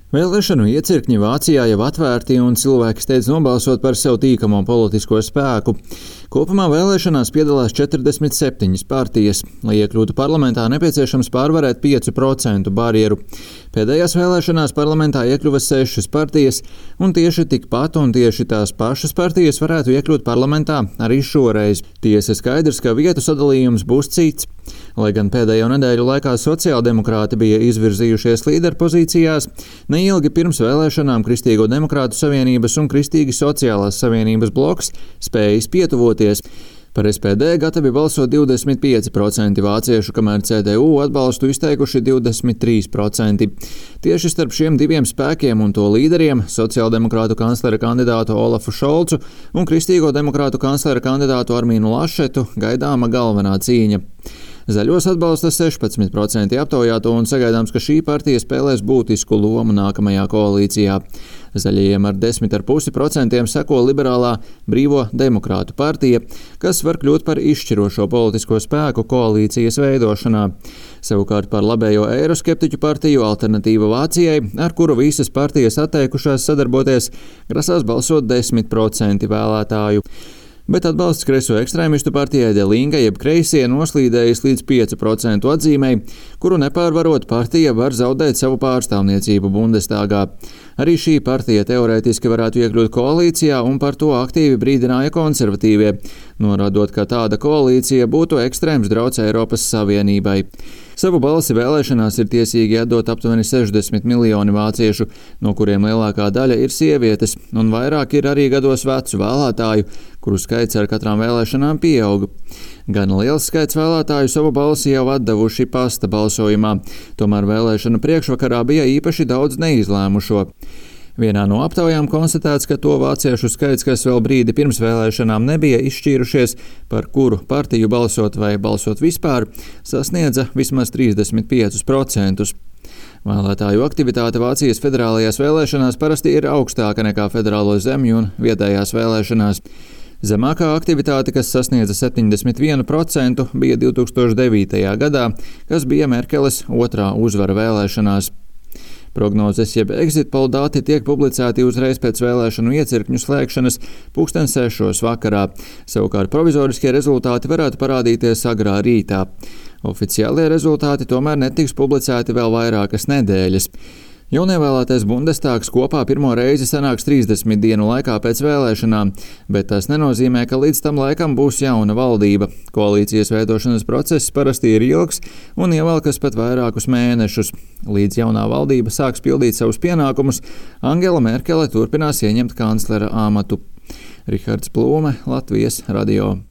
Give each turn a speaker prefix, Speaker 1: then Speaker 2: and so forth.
Speaker 1: Vēlēšanu iecirkņi Vācijā jau atvērti un cilvēki steidz nobalsot par sev tīkamo politisko spēku. Kopumā vēlēšanās piedalās 47 partijas. Lai iekļūtu parlamentā, nepieciešams pārvarēt 5% barjeru. Pēdējās vēlēšanās parlamentā iekļuva 6 partijas, un tieši tikpat un tieši tās pašas partijas varētu iekļūt parlamentā arī šoreiz. Tiesa skaidrs, ka vietu sadalījums būs cits. Lai gan pēdējo nedēļu laikā sociāldemokrāti bija izvirzījušies līderpozīcijās, neilgi pirms vēlēšanām Kristīgo demokrātu savienības un Kristīgi sociālās savienības bloks spējas pietuvoties. Par SPD gatavi balsot 25% vāciešu, kamēr CDU atbalstu izteikuši 23%. Tieši starp šiem diviem spēkiem un to līderiem - sociāldemokrātu kanclera kandidātu Olafu Šolcu un Kristīgo demokrātu kanclera kandidātu Armīnu Lašetu gaidāma galvenā cīņa. Zaļos atbalsta 16% aptaujāto un sagaidāms, ka šī partija spēlēs būtisku lomu nākamajā koalīcijā. Zaļajiem ar 10,5% seko liberālā Brīvo demokrātu partija, kas var kļūt par izšķirošo politisko spēku koalīcijas veidošanā. Savukārt par labējo eiroskeptiķu partiju Alternatīva Vācijai, ar kuru visas partijas atteikušās sadarboties, grasās balsot 10% vēlētāju. Bet atbalsts kreiso ekstrēmistu partijai De Linke jeb kreisie noslīdējis līdz 5% atzīmei, kuru nepārvarot partija var zaudēt savu pārstāvniecību Bundestāgā. Arī šī partija teorētiski varētu iekļūt koalīcijā, un par to aktīvi brīdināja konservatīvie, norādot, ka tāda koalīcija būtu ekstrēms drauds Eiropas Savienībai. Savu balsi vēlēšanās ir tiesīgi atdot aptuveni 60 miljoni vāciešu, no kuriem lielākā daļa ir sievietes, un vairāk ir arī gados vecu vēlētāju, kuru skaits ar katrām vēlēšanām pieauga. Gan liels skaits vēlētāju savu balsi jau atdevuši pasta balsojumā, tomēr vēlēšanu priekšvakarā bija īpaši daudz neizlēmušo. Vienā no aptaujām konstatēts, ka to vāciešu skaits, kas vēl brīdi pirms vēlēšanām nebija izšķīrušies, par kuru partiju balsot vai balsot vispār, sasniedza vismaz 35%. Vēlētāju aktivitāte Vācijas federālajās vēlēšanās parasti ir augstāka nekā federālo zemju un vietējās vēlēšanās. Zemākā aktivitāte, kas sasniedza 71%, bija 2009. gadā, kas bija Merkeles otrā uzvara vēlēšanās. Prognozes jeb exit poll dati tiek publicēti uzreiz pēc vēlēšanu iecirkņu slēgšanas 6:00 vakarā. Savukārt provizoriskie rezultāti varētu parādīties agrā rītā. Oficiālie rezultāti tomēr netiks publicēti vēl vairākas nedēļas. Jaunievēlētais Bundestāgs kopā pirmo reizi sanāks 30 dienu laikā pēc vēlēšanām, bet tas nenozīmē, ka līdz tam laikam būs jauna valdība. Koalīcijas veidošanas process parasti ir ilgs un ievelkas pat vairākus mēnešus. Līdz jaunā valdība sāks pildīt savus pienākumus, Angela Merkele turpinās ieņemt kanclera amatu. Rihards Plūme, Latvijas radio.